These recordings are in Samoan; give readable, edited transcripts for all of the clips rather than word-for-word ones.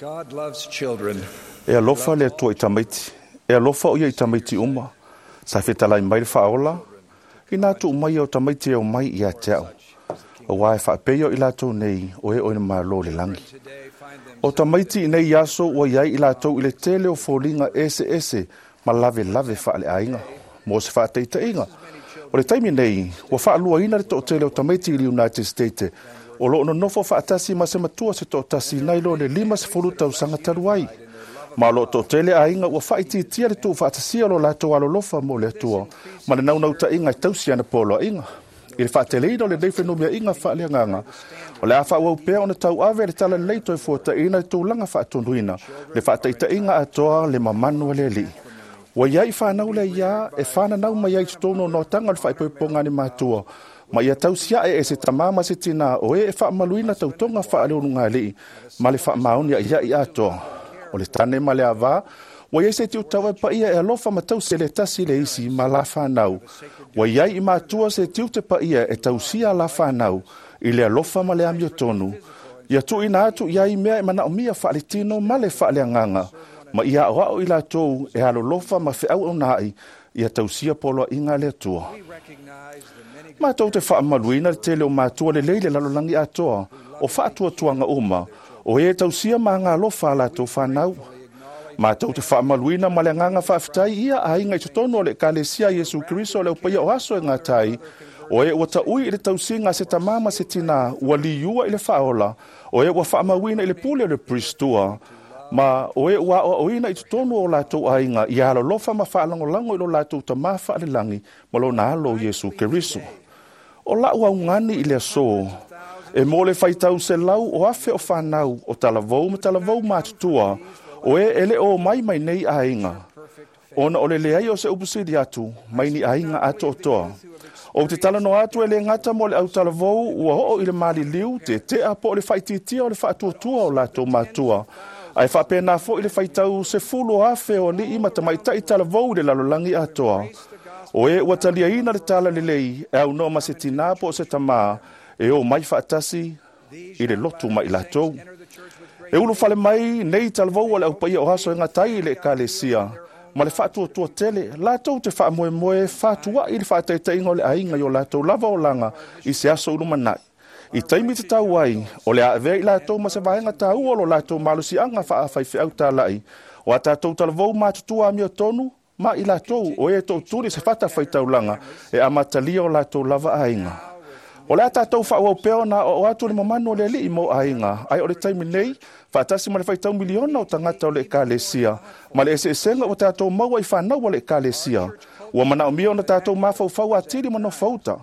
God loves children. E alofa le Atua i tamaiti. E alofa o ia i tamaiti uma. Sa fetalai mai le Faaola, inā tuu mai o tamaiti e omai ia te au. Auā e faapea o i latou nei o e o i le Malo o le lagi. O tamaiti i nei aso ua i ai i latou i le tele o foliga eseese ma lavelave faaleaiga. Mo se faataitaiga, o le taimi nei ua faaluaina le toatele o tamaiti i le United States o lo o nonofo faatasi ma se matua se toatasi nai lo le 50 tausaga talu ai. Ma o lo o toatele aiga ua faaitiitia le tuufaatasia o lo latou alolofa mo le Atua ma le naunautaiga e tausi ana poloaiga. I le faateleina o lenei fenumiaiga faaleagaga, o le a faaauau pea ona tauave le talalelei toe fuataina i tulaga faatonuina, le faataitaiga atoa le mamanu a le Alii. Ua i ai fanau le aiā e fananau mai ai i totonu o noataga o le faaipoipoga a ni matua, ma ia tausiae e se tamā ma se tinā o e e faamaluina tautoga faaleulugalii ma le faamaoni aiai atoa. O le tane ma le avā, ua i ai se tiute paia e alofa ma tausi le tasi le isi ma la whanau. Ua i ai i matua se tiute paia e tausia la whanau i le alofa ma le amiotonu. Ia tuuina atu i ai mea e manaomia faaletino ma le faaleagaga, ma ia aoao i latou e alolofa ma feauaunaai ia tausia poloaiga a le Atua. Matou te faamaluina le tele o matua lelei le lalolagi atoa o faatuatuaga uma o e tausia ma agalofa a latou whanau. Matou te faamaluina ma le agaga faafetai ia aiga i totonu o le Ekalesia Iesu Keriso o le Aupaia o Aso e Gata ai, o e ua taui i le tausiga a se tamā ma se tinā ua liua i le faaola, o e ua faamauina i le pule o le Pristua, ma o e ua aoaoina i totonu o latou aiga ia alolofa ma faalagolago i lo latou tamā faalelagi ma lona alo Iesu Keriso. O lau augani i le aso, e mo le faitau 100,000 o whanau o talavou ma talavou matutua, o e ele o mai mai nei aiga. Ona o le leai o se upusili atu, mai ni aiga atoatoa. O te talanoa atu e le gata mo le au talavou ua oo i le maliliu te tea po o le faitiitia o le faatuatua o latou matua. Ae faapena foi le faitau 10,000 o alii ma tamaitai talavou i le lalolagi atoa. O e ua taliaina le tala lelei e aunoa ma se tinā po o se tamā e o mai faatasi i le lotu mai latou. E ulufale mai nei talavou o le Aupaia o Aso e Gata ai i le Ekalesia ma le faatuatua tele, latou te faamoemoe fatuai i le faataitaiga o le aiga i o latou lava olaga i se aso ulumanai. I taimi te tau ai, o le a avea i latou ma se vaega tāua o lo latou malosiaga faafaifeau talai, o a tātou talavou matutua amiotonu, ma i latou o e tootuli se fata faitaulaga e amatalia o latou lava aiga. O le a tātou faaauau pea ona o atu le mamanu o le Alii mo aiga, ai o le taimi nei, faatasi ma le faitau miliona o tagata o le Ekalesia, ma le eseesega ua tātou maua i whanau o le Ekalesia. Ua manaomia ona tātou mafaufau atili ma nofauta.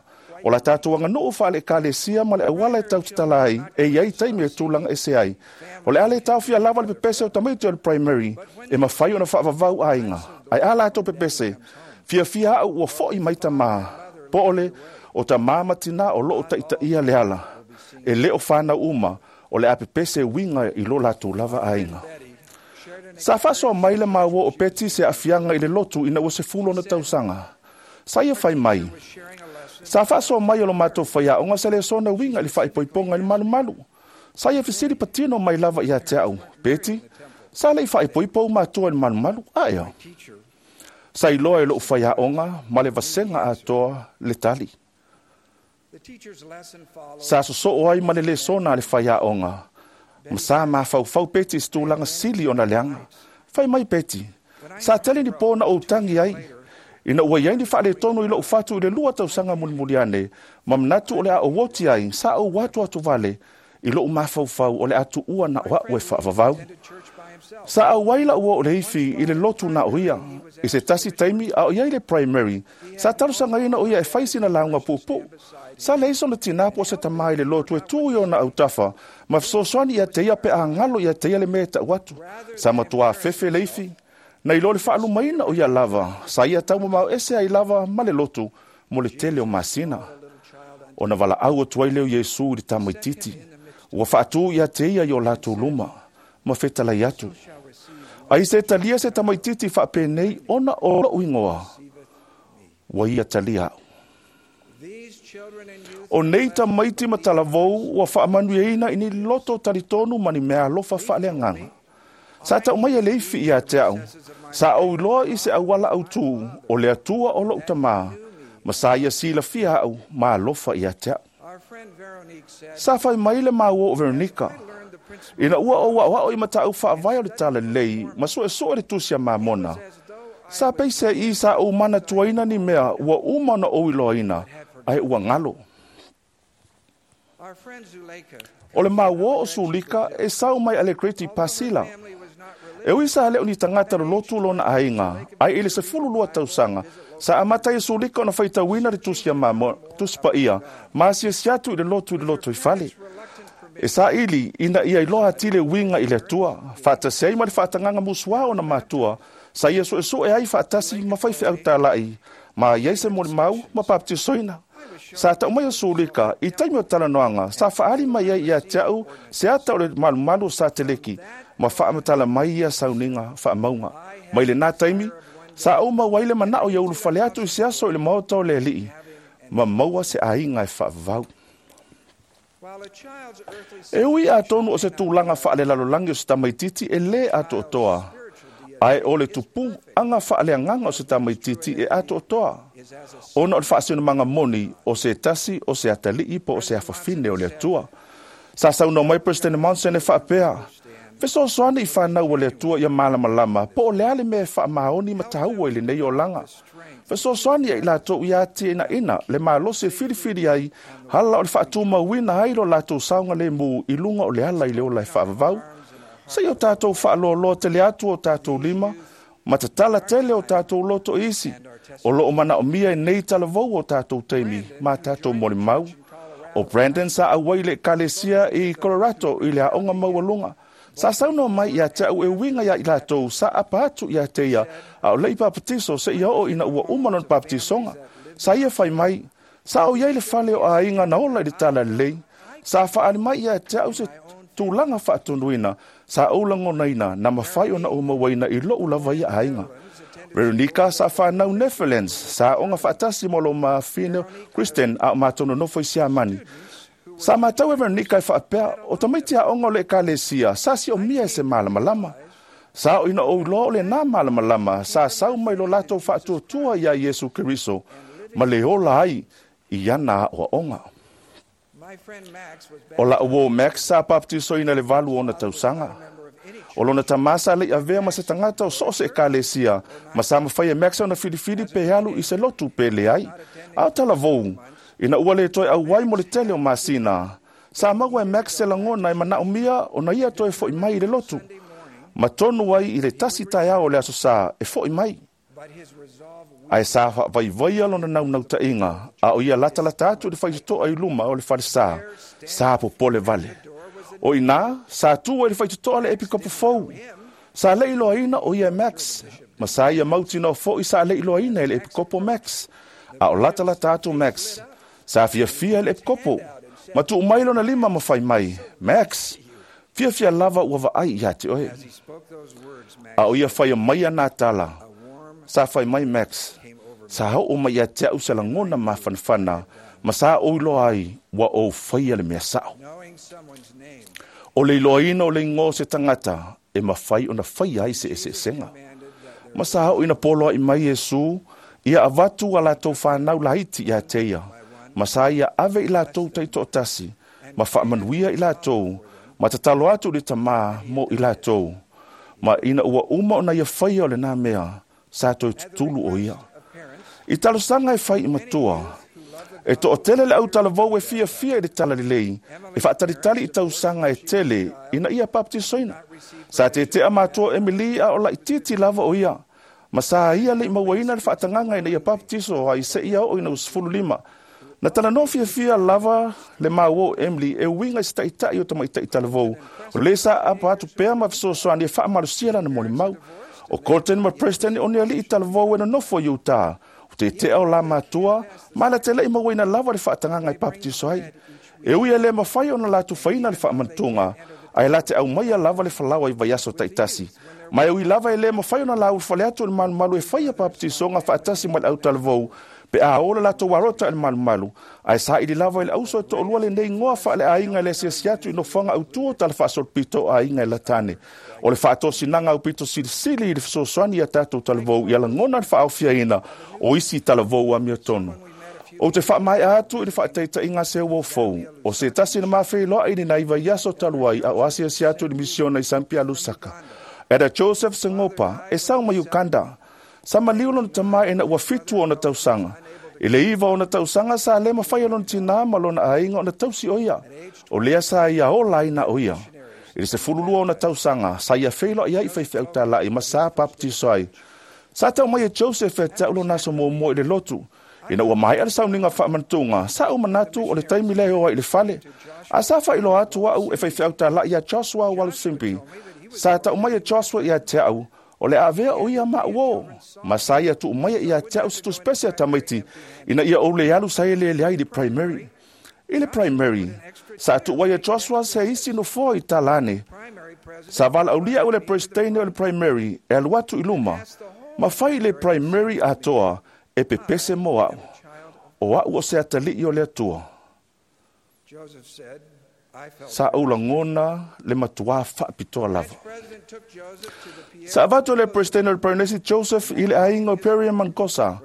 O la tātou aganuu wha le Ekalesia ma le auala e tautatala ai, e iai taimi e tūlanga ese ai. O le ale taofia lava le pepese o tamaiti o le primary, e mawhai ona whaavavau aiga. Ai a latou pepese, fiafia au ua foi mai tamā. Po ole, o tamā matina o loo taitaia le ala. E leo whanau uma, o le a pepese winga i lo latou lava aiga. Sa faasoa mai le maua o Peti se afianga i le lotu ina ua 10 ona tausaga. Sa ia fai mai. Sa faasoa mai o lo matou faiaoga se lesona uiga i le faaipoipoga i le malumalu. Sa ia fesili patino mai lava ia te au. Peti, sa le i faaipoipo ou matua i le malumalu, aea. Sa iloa e lou faiaoga ma le vasega atoa le tali. Sa sosoo ai ma le lesona a le faiaoga. Ma sa mafaufau Peti i se tulaga sili ona leaga. Fai mai Peti, sa tele ni pō na ou tangi ai. Ina ua iai ni faaletonu i lou fatu i le 2 tausaga mulimuli ane, ma manatu o le a ou oti ai, sa ou atu atu vale, i lou mafaufau o le a tuua na o au e faavavau. Sa auai lau o le ifi i le lotu na o ia. I se tasi taimi a o iai le primary, sa talosagaina o ia e fai sina lauga puupuu. Sa leai sona tinā po o se tamā i le lotu e tū i ona autafa, ma fesoasoani ia te ia pe a galo ia te ia le mea e tau atu. Sa matuā fefe le ifi. Na iloa le faalumaina o ia lava, sa ia taumamao ese ai lava ma le lotu mo le tele o masina. Ona valaau atu ai lea o Iesu i le tamaitiiti. Ua faatū ia te ia i o latou luma, ma fetalai atu. Ai se talia se tamaitiiti faapenei ona o lou ingoa, ua ia talia au. O nei tamaiti ma talavou ua faamanuiaina i ni loto talitonu ma ni mea alofa faaleagaga. Sa ta'u mai e le ifi ia te a'u, sa ou iloa i se auala autū o le Atua o lo'u tamā, ma sa ia silafia a'u ma alofa ia te a'u. Sa fai mai le maua o Veronica, ina ua ou a'oa'o i mataupu faavae o le Talalelei ma su'esu'e le Tusi a Mamona, sa peiseai sa ou manatuaina ni mea ua uma ona ou iloaina, ae ua galo. O le maua o Sulika e sau mai Alegrete Pasila. E ui sa leo ni tagata lolotu lona aiga, ae i le 12 tausaga, sa amata ai e Sulika ona faitauina le Tusi a Mamona, Tusi Paia, ma asiasi atu i le lotu i le lotoifale. E saili ina ia iloa atili uiga i le Atua, faatasi ai ma le faatagaga musuā ona matua, sa ia su'esu'e ai faatasi ma faifeau tala'i, ma i ai se molimau ma papatisoina. Sa ta'u mai o Sulika i taimi o talanoaga, sa fa'aali mai ai ia te a'u se ata o le malumalu o Sateleki, ma fa'amatala mai ia sauniga fa'amauga. Mai lenā taimi, sa ou maua ai le mana'o ia ulufale atu i se aso i le maota o le Ali'i, ma maua se aiga e fa'avavau. E ui atonu o se tulaga fa'alelalolagi o se tamaititi e lē ato'atoa, ae o le tupu'aga fa'aleagaga o se tamaititi e ato'atoa, ona o le fa'asinomaga moni o se tasi o se atali'i po o se afafine o le Atua. Sa saunoa mai Peresetene Monson e fa'apea, fesoasoani i fanau a le Atua ia malamalama po o le a le mea e fa'amaoni ma tāua i lenei olaga. Fesoasoani ai latou ia ati'ina'ina le malosi e filifili ai ala o le fa'atumauina ai lo latou saogalēmū i luga o le ala i le ola e fa'avavau. Seia o tatou fa'aloaloa tele atu o tatou lima, ma tatala tele o tatou loto i isi, o lo'o mana'omia i nei talavou o tatou taimi ma tatou molimau. O Brandon sa auai le ekalesia i Colorado i le aoga maualuga. Sa saunoa mai ia te a'u e uiga iā i latou sa apa atu ia te ia a o le'i papatiso seia oo ina ua uma lona papatisoga. Sa ia fai mai, sa o iai le fale o aiga na ola i le Talalelei. Sa fa'aali mai ia te a'u se tulaga fa'atonuina sa ou lagonaina na mafai ona ou mauaina i lo'u lava ia aiga. Veronica sa fanau Netherlands, sa aoga fa'atasi ma lo mafine Kristen a o matou nonofo i Siamani. Sa matau e Veronica e fa'apea, o tamaiti aoga o le ekalesia, sa si'omia e se malamalama. Sa o ina ou iloa o lenā malamalama, sa sau mai lo latou fa'atuatua iā Iesu Keriso, ma le ola ai i ana a'oa'oga. O la'u uō Max sa papatisoina i le 8 ona tausaga. O lona tamā sa le'i avea ma se tagata o so o se ekalesia, ma sa mafai e Max ona filifili pe alu i se lotu pe leai. A o talavou, ina ua lē toe auai mo le tele o masina, sa maua e Max se lagona e mana'omia ona ia toe fo'i mai i le lotu. Ma tonu ai i le tasi taeao o le aso sā e fo'i mai. Ae sa fa'avaivaia lona naunauta'iga, a o ia latalata atu i le faitoto'a i luma o le falesā, sa popole vale. O inā, sa tu ai le faitoto'a le epikopo fou. Sa le'i iloaina o ia e Max, ma sa ia mautinoa fo'i sa le'i iloaina e le epikopo Max. A o latalata atu Max, sa fiafia le epikopo, ma tuu mai lona lima ma fai mai, Max, fiafia lava ua vaai ia te oe. A o ia faia mai ana tala, sa fai mai Max, sa o'o mai ia te a'u se lagona mafanafana, ma sa ou iloa ai ua ou faia le mea sa'o. O le iloaina o le igoa o se tagata e mafai ona faia ai se eseesega. Ma sa oo ina poloa'i mai Iesu, ia avatu a latou fanau laiti ia te ia, ma sa ia ave i latou taito'atasi, ma fa'amanuia i latou, ma tatalo atu i le Tamā mo i latou. Ma ina ua uma ona ia faia o lenā mea, sa toe tutulu o ia. I talosaga e fai i matua, e to'atele le autalavou e fiafia i le Talalelei, e fa'atalitali i tausaga e tele ina ia papatisoina. Sa tete'a matua Emily a o la'itiiti lava o ia, ma sa ia le'i mauaina le fa'atagaga ina ia papatiso ai se'ia oo ina ua 15. Na talanoa fiafia lava le maua o Emily e uiga i se ta'ita'i o tamaita'i talavou, o lē sa apa atu pea ma fesoasoani e fa'amalosia lana molimau. O Colton ma Preston o ni ali'i talavou e nonofo i Utah. O tete'a o la matua, ma la te le'i mauaina lava le fa'atagaga e papatiso ai. E ui e lē mafai ona latou faina le fa'amanatuga, ae la te aumaia lava le falaoa i vaiaso ta'itasi. Ma e ui lava e lē mafai ona la ulufale atu o le malumalu e faia papatisoga fa'atasi ma le autalavou, Pe a o le latou arota i le malumalu, ae saili lava i le auso e toalua lenei igoa faaleaiga i le asiasi atu i nofoaga autu o tala faasolopito o aiga e latane. O le faatosinaga aupito silisili i le fesoasoani ia tatou talavou ia lagona le faaofiaina o isi talavou amiotonu. Ou te faamaea atu i le faataitaiga se uo fou, o se tasi na mafeiloai i le nai vaiaso talu ai a o asiasi atu i le misiona i Sampia Lusaka. Elder Joseph Sengopa, e sau mai Uganda. Sa maliu lona tama ina ua 7 ona tausaga. I le 9 ona tausaga sa le mafai e lona tinā ma lona aiga ona tausi o ia. O lea sa ia ola ai na o ia. I le 12 ona tausaga, sa ia feiloai ai i faifeau talai ma sa baptiso ai. Sa tau mai e Joseph e te au lona aso muamua i le lotu. Ina ua maea le sauniga faamanatuga, sa ou manatu o le taimi lea e o ai i le fale. A sa faailoa atu au e faifeau talai ia Joshua Walusimbi. Sa tau mai e Joshua ia te au, o le avea o ia ma uo. Ma sa ia tuu mai ia te au se tusipese a tamaiti, ina ia ou le alu sa e lele ai i le primary. I le primary, sa tuu ai e Joshua se isi nofoa i talane. Sa valaaulia au le presidente o le primary e alu atu i luma. Ma fai le primary atoa e pepese mo au. O au o se atalii o le Atua. Sa ou lagona le matua faapitoa lava. Sa avatu le presidente o le Primary Joseph i le aiga o Perry Mankosa,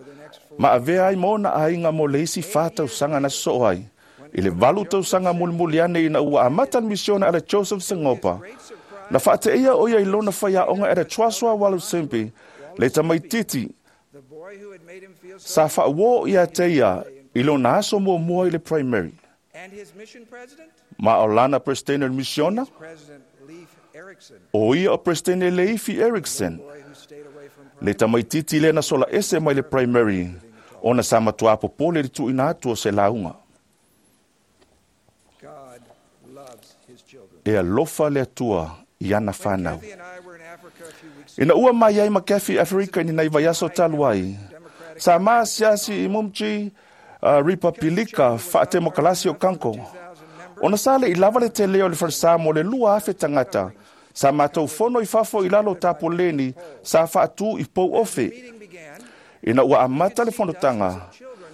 ma avea ai ma ona aiga mo le isi 4 tausaga na sosoo ai. I le 8 tausaga mulimuli ane ina ua amata le misiona a le Joseph Sengopa. Na faateia o ia i lona faiaoga e le Joshua Walusimbi, le tamaititi, sa faauo ia te ia i lona aso muamua i le primary. Ma o lana presidente o le misiona, o ia o presidente Leifi Erickson, le tamaititi lea na sola ese mai le primary, ona sa matua popole le tuuina atu o se lauga. E alofa le Atua i ana whanau. Ina ua mai ai ma Kathy Afrika i ni vaiaso talu ai, sa maasiasi i Mumji Republika faatemokalasi o Kanko. Ona sa le i lava le tele o le falesa mo le 2,000 tagata, sa matou fono i fafo i lalo o tapoleni, sa faatu i pou ofe. Ina ua amata le fonotaga,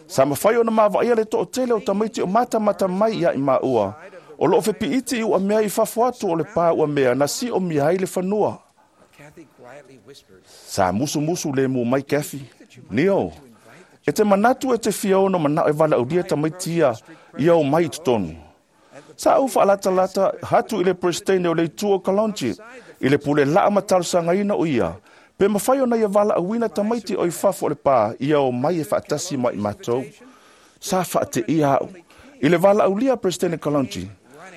sa mafai ona mavaia le toatele o tamaiti o matamata mai ia i maua, o loo fepiiti i ua mea i fafo atu o le pā ua mea na si o mia ai le fanua. Sa musumusu le mu mai Kathy, Nio, e te manatu e te fia ono manao e valaaulia tamaiti ia o mai i totonu. Sa ou faalatalata hatu i le presidente o le itu o Kalonji, i le pule laa ma talosagaina o ia, pe mafai ona ia valaauina tamaiti o i fafo o le pā ia o mai e faatasi mai matou. Sa faateia au. I le valaaulia presidente Kalonji,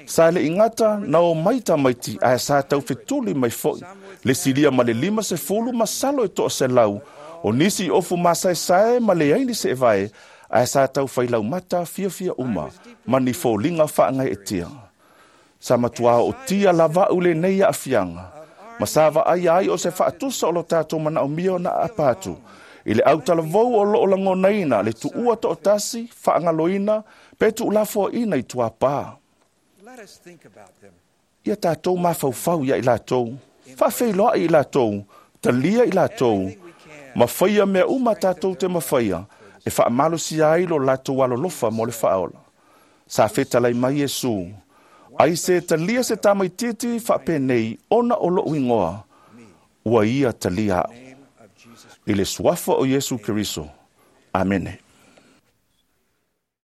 sa le ingata na o mai tamaiti ae sa taufetuli mai foi, le silia ma le 50 ma salo e toa selau, o nisi ofu masaesae ma le aini se evae, ae sa tau whailaumata fiafia uma, ma ni fōlinga whaangai e tia. Sa matua o tia lava ule nei a afianga, ma sa vaai ai o se faatusa o lo tātou manaomia o na apatu. I le autalavou o loo langonaina, le tuua to'atasi, whaangaloina, pe tuulafoaina i tuapā. Ia tātou mafaufau ia i latou, faafeiloai i latou, talia i latou, mawhaia mea uma tātou te mawhaia, e faamalosia ai lo latou alolofa mo le faaola. Sa fetalai mai Iesu, ai se talia se tamaititi faapenei ona o lou igoa, ua ia talia au. I le suafa o Iesu Keriso. Amene.